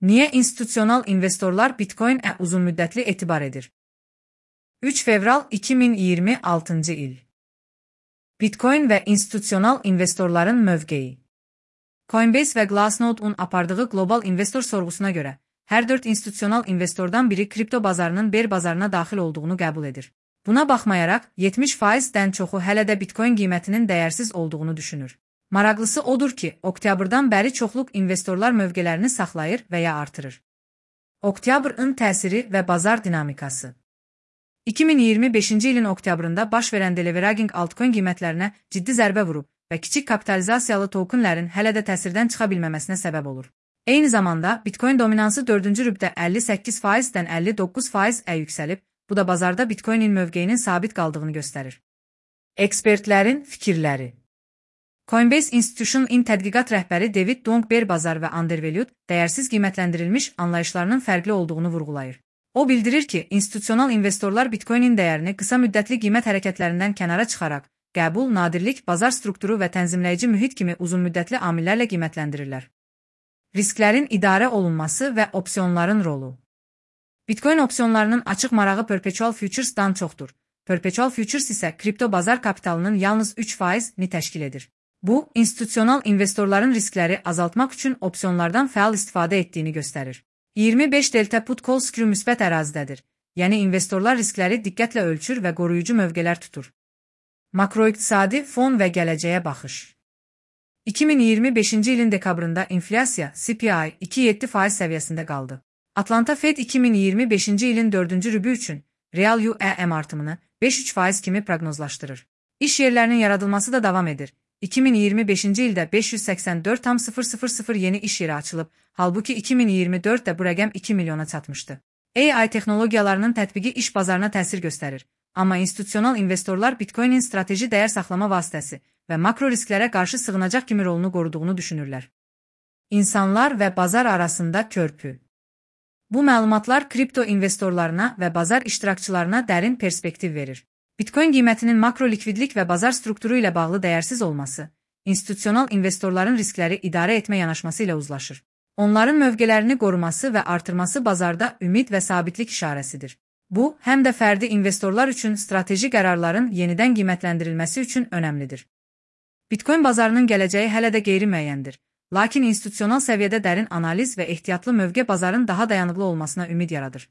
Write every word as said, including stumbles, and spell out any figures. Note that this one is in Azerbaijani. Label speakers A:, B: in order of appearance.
A: Niyə institusional investorlar Bitcoin-ə uzunmüddətli etibar edir? üç fevral iki min iyirmi altıncı il. Bitcoin və institusional investorların mövqeyi. Coinbase və Glassnode-un apardığı qlobal investor sorğusuna görə, hər dörd institusional investordan biri kripto bazarının bear bazarına daxil olduğunu qəbul edir. Buna baxmayaraq, yetmiş faizdən çoxu hələ də Bitcoin qiymətinin dəyərsiz olduğunu düşünür. Maraqlısı odur ki, oktyabrdan bəri çoxluq investorlar mövqələrini saxlayır və ya artırır. Oktyabrın təsiri və bazar dinamikası. iki min iyirmi beşinci ilin oktyabrında baş verən deleveraging altcoin qiymətlərinə ciddi zərbə vurub və kiçik kapitalizasiyalı tokenlərin hələ də təsirdən çıxa bilməməsinə səbəb olur. Eyni zamanda, Bitcoin dominansı dördüncü rübdə əlli səkkiz faizdən əlli doqquz faizə yüksəlib, bu da bazarda Bitcoinin mövqeyinin sabit qaldığını göstərir. Ekspertlərin fikirləri. Coinbase Institutional tədqiqat rəhbəri David Dong bear bazar və undervalued, dəyərsiz qiymətləndirilmiş anlayışlarının fərqli olduğunu vurğulayır. O bildirir ki, institusional investorlar Bitcoinin dəyərini qısa müddətli qiymət hərəkətlərindən kənara çıxaraq, qəbul, nadirlik, bazar strukturu və tənzimləyici mühit kimi uzunmüddətli amillərlə qiymətləndirirlər. Risklərin idarə olunması və opsiyonların rolu. Bitcoin opsiyonlarının açıq marağı perpetual futures'dan çoxdur. Perpetual futures isə kripto bazar kapitalının yalnız üç faizini təşkil edir. Bu, institusional investorların riskləri azaltmaq üçün opsiyonlardan fəal istifadə etdiyini göstərir. iyirmi beş delta put call screw müsbət ərazidədir, yəni investorlar riskləri diqqətlə ölçür və qoruyucu mövqelər tutur. Makroiqtisadi fon və gələcəyə baxış. iki min iyirmi beşinci ilin dekabrında inflyasiya C P I iki nöqtə yeddi faiz səviyyəsində qaldı. Atlanta Fed iki min iyirmi beşinci ilin dördüncü rübü üçün real U E M artımını beş nöqtə üç faiz kimi proqnozlaşdırır. İş yerlərinin yaradılması da davam edir. iki min iyirmi beşinci ildə beş yüz səksən dörd nöqtə sıfır sıfır sıfır yeni iş yeri açılıb, halbuki iki min iyirmi dörddə bu rəqəm iki milyona çatmışdı. A I texnologiyalarının tətbiqi iş bazarına təsir göstərir, amma institusional investorlar Bitcoinin strateji dəyər saxlama vasitəsi və makro risklərə qarşı sığınacaq kimi rolunu qoruduğunu düşünürlər. İnsanlar və bazar arasında körpü. Bu məlumatlar kripto investorlarına və bazar iştirakçılarına dərin perspektiv verir. Bitcoin qiymətinin makro likvidlik və bazar strukturu ilə bağlı dəyərsiz olması, institusional investorların riskləri idarə etmə yanaşması ilə uzlaşır. Onların mövqələrini qoruması və artırması bazarda ümid və sabitlik işarəsidir. Bu, həm də fərdi investorlar üçün strateji qərarların yenidən qiymətləndirilməsi üçün önəmlidir. Bitcoin bazarının gələcəyi hələ də qeyri-müəyyəndir, lakin institusional səviyyədə dərin analiz və ehtiyatlı mövqe bazarın daha dayanıqlı olmasına ümid yaradır.